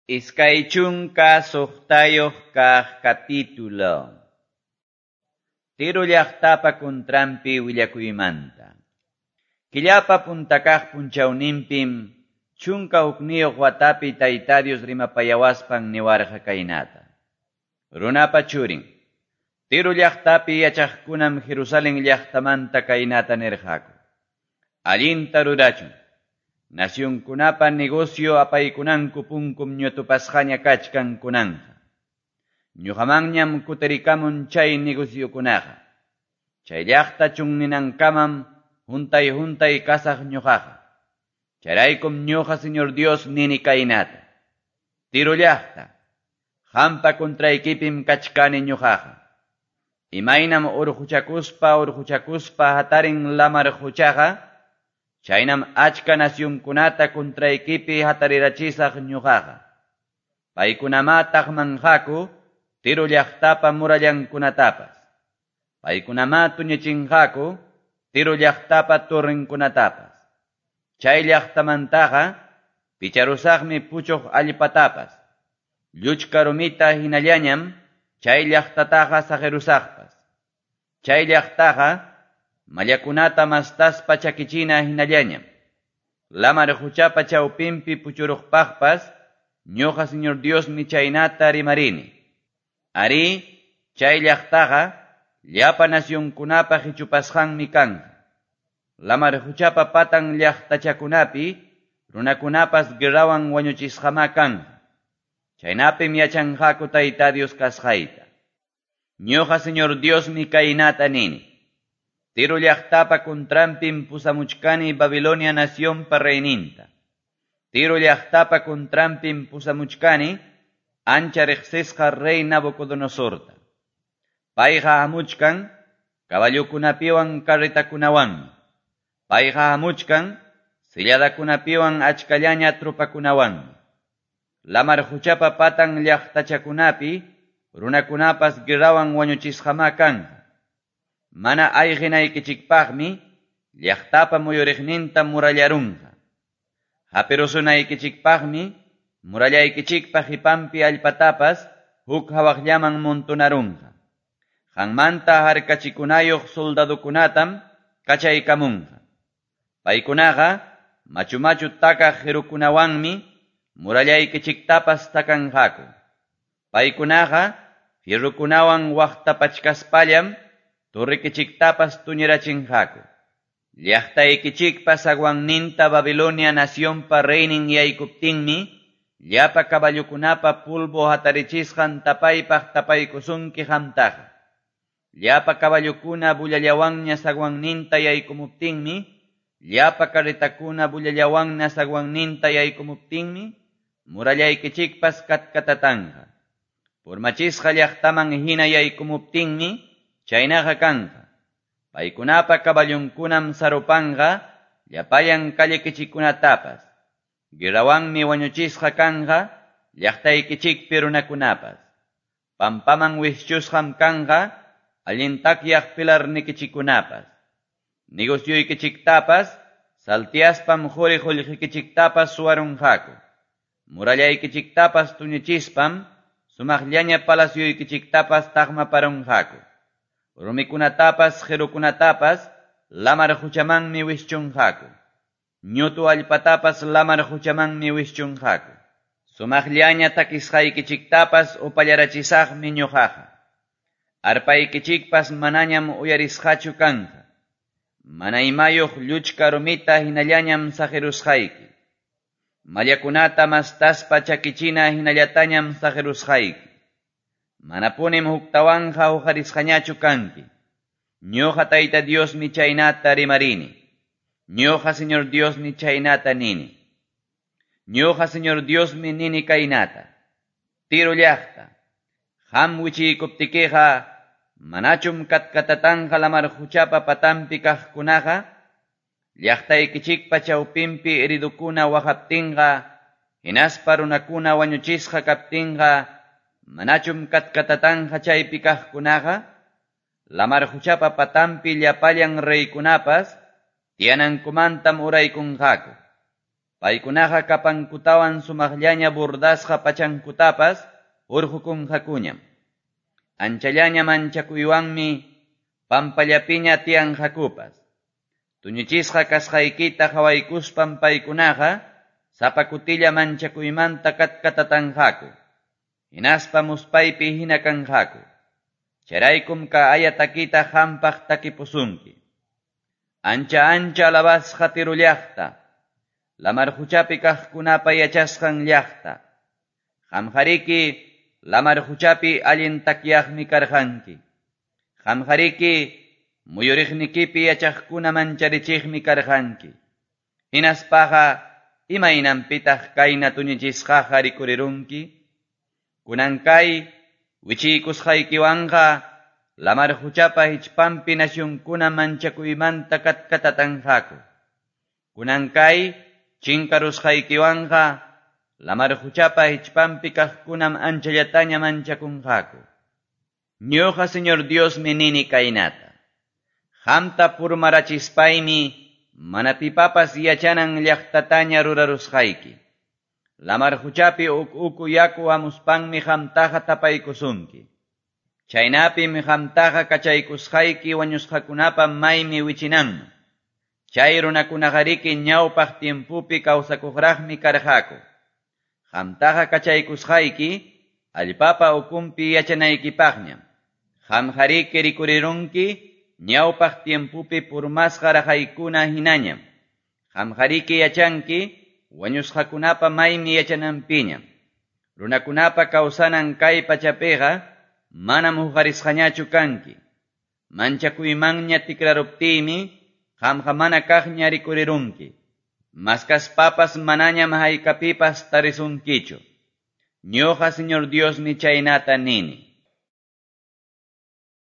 26 kaq capítulo. Tiro llaqtapa contranpi willakuymanta. Killapa punta kaq punchawninpim 11 watapi Tayta Dios rimapayawaspan niwarqa kaynata. Runapa churin, Tiro llaqtapi yachaqkunam Jerusalén llaqtamanta kaynata nirqaku. Allinta rurachun. Nacionkunapa negocio apaykunanku punkum ñutupasqaña kachkan kunanqa. Ñuqamanñam kutirikamun chay negociokunaqa. Chay llaqta chunninankamam juntay juntay kasaq ñuqaqa. Chayraykum ñuqa Señor Dios nini kaynata. Tiro llaqta, qampa contraykipim kachkani ñuqaqa. Imaynam urquchakuspa urquchakuspa hatarin lamar quchaqa, chaynam achka nacionkunata contraykipi hatarirachisaq ñuqaqa. Paykunamá taqmanqaku Tiro llaqtapa murallankunatapas. Paykunamá tuñichinqaku Tiro llaqtapa torrenkunatapas. Chay llaqtamantaqa picharusaqmi puchuq allpatapas. Lluchka rumita hinallañam chay llaqtataqa saqirusaqpas. Chay llaqtaqa mallakunata mastaspa chakichina hinallañam. Lamar quchapa chawpinpi puchuruqpaqpas ñuqa Señor Diosmi chaynata rimarini. Arí, chay llaqtaqa llapa nacionkunapa hichupasqanmi kanqa. Lamar quchapa patan llaqtachakunapi runakunapas guerrawan wañuchisqamá kanqa. Chaynapim yachanqaku Tayta Dios kasqayta. Ñuqa Señor Diosmi kaynata nini. Tiro llaqtapa contranpim pusamuchkani Babilonia nacionpa reyninta. Tiro llaqtapa contranpim pusamuchkani ancha riqsisqa rey Nabucodonosorta. Payqa hamuchkan caballokunapiwan carretakunawanmi. Payqa hamuchkan silladakunapiwan achkallaña tropakunawanmi. Lamar quchapa patan llaqtachakunapi runakunapas guerrawan wañuchisqamá kanqa. Mana ayqinaykichikpaqmi llaqtapa muyuriqninta murallarunqa. Hapirusunaykichikpaqmi murallaykichikpa qipanpi allpatapas huk hawaqllaman montonarunqa. Qanmanta harkachikunayuq soldadokunatam kachaykamunqa. Paykunaqa machu machu takaq qirukunawanmi murallaykichiktapas takanqaku. Paykunaqa fierrokunawan waqtapachkaspallam torrekichiktapas tuñirachinqaku. Llaqtaykichikpa zaguanninta Babilonia nacionpa reynin yaykuptinmi llapa caballokunapa pulvo hatarichisqan tapaypaq tapaykusunki qamtaqa. Llapa caballokuna bullallawanña zaguanninta yaykumuptinmi, llapa carretakuna bullallawanña zaguanninta yaykumuptinmi, murallaykichikpas katkatatanqa. Purmachisqa llaqtaman hina yaykumuptinmi, chaynaqa kanqa. Paykunapa caballonkunam sarupanqa llapallan callekichikkunatapas. Guerrawanmi wañuchisqa kanqa llaqtaykichikpi runakunapas. Pampaman wischusqam kanqa allin takyaq pilarnikichikkunapas. Negocioykichiktapas saltiaspam quri qullqikichiktapas suwarunqaku. Murallaykichiktapas tuñichispam sumaqllaña palacioykichiktapas taqmaparunqaku. Rumikunatapas qirukunatapas lamar quchamanmi wischunqaku. Ñutu allpatapas lamar quchamanmi wischunqaku. Sumaqllaña takisqaykichiktapas upallarachisaqmi ñuqaqa. Arpaykichikpas manañam uyarisqachu kanqa. Mana imayuq lluchka rumita hinallañam saqirusqayki. Mallakunata mastaspa chakichina hinallatañam saqirusqayki. Manapunim huktawanqa huqarisqañachu kanki. Ñuqa Tayta Diosmi chaynata rimarini. Ñuqa Señor Diosmi chaynata nini. Ñuqa Señor Diosmi nini kaynata. Tiro llaqta, qam wichiykuptikiqa manachum katkatatanqa lamar quchapa patanpi kaqkunaqa, llaqtaykichikpa chawpinpi heridukuna waqaptinqa, hinaspa runakuna wañuchisqa kaptinqa, manachum katkatatanqa chaypi kaqkunaqa, lamar quchapa patanpi llapallan reykunapas tiyanankumantam uraykunqaku. Paykunaqa capankutawan sumaqllaña bordasqa pachankutapas hurqokunqakuñam. Anchallaña manchakuywanmi pampallapiña tiyanqakupas. Tuñichisqa kasqaykita qawaykuspam paykunaqa sapa kutilla manchakuymanta katkatatanqaku. Hinaspa muspaypi hina kanqaku. Chayraykum kay aya takita qampaq takipusunki. Ancha ancha alabasqa Tiro llaqta, lamar quchapi kaqkunapa yachasqan llaqta. Qamqariki lamar quchapi allin takyaqmi karqanki. Qamqariki muyuriqnikipi yachaqkuna mancharichiqmi karqanki. Hinaspaqa imaynanpitaq kayna tuñichisqaqa rikurirunki? Kunan kay wichiykusqaykiwanqa lamar quchapa hichpanpi nacionkuna manchakuymanta katkatatanqaku. Kunan kay chinkarusqaykiwanqa lamar quchapa hichpanpi kaqkunam anchallataña manchakunqaku. Ñuqa Señor Diosmi nini kaynata. Qamta purmarachispaymi mana pipapas yachanan llaqtataña rurarusqayki. Lamar quchapi uku yaku hamuspanmi qamtaqa tapaykusunki. Chaynapim qamtaqa kachaykusqayki wañusqakunapa maymi wichinanman. Chay runakunaqariki ñawpaq tiempopi kawsakuqraqmi karqaku. Qamtaqa kachaykusqayki allpapa ukunpi yachanaykipaqñam. Qamqariki rikurirunki ñawpaq tiempopi purmasqa raqaykuna hinañam. Qamqariki yachanki wañusqakunapa maymi yachananpiñam. Runakunapa kawsanan kay pachapiqa manam huqarisqañachu kanki. Manchakuymanña tikraruptiymi qamqa mana kaqña rikurirunki. Maskaspapas manañam haykapipas tarisunkichu. Ñuqa Señor Diosmi chaynata nini.